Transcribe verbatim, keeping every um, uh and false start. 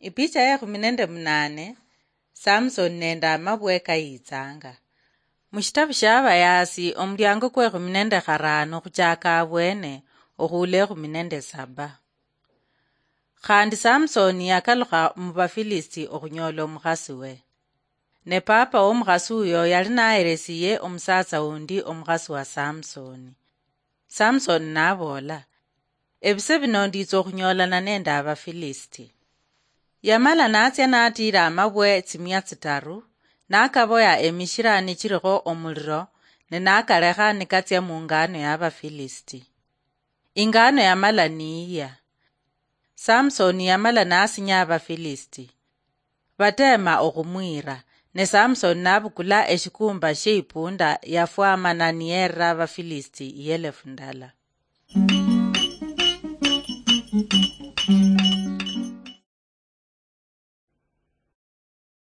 Ipicha ya ekhumi nende munane. Samsoni nende amabwe kayitsanga. Mushitabu shia Abayaasi, omuliango kwa ekhumi nende kharano khuchaka abwene okhuula ekhumi nende saba. Khandi Samsoni yakalukha mu Bafilisti okhunyola omukhasi we. Ne papa womukhasi uyo yali naheresiye omusatsa undi omukhasi wa Samsoni. Samsoni naboola, "Ebise bino nditsa okhunyoolana nende Abafilisti." Yamala natsia natiira amabwe tsimia tsitaru, nakaboya emishira nichirikho omuliro, ne nakalekha nikatsia mungano ya Abafilisti. Ingano yamala niiya. Samsoni yamala nasinya Abafilisti. Bateema okhumwiira, ne Samsoni nabukula eshikumba sheipunda yafwamana niyerera Abafilisti ielefu ndala.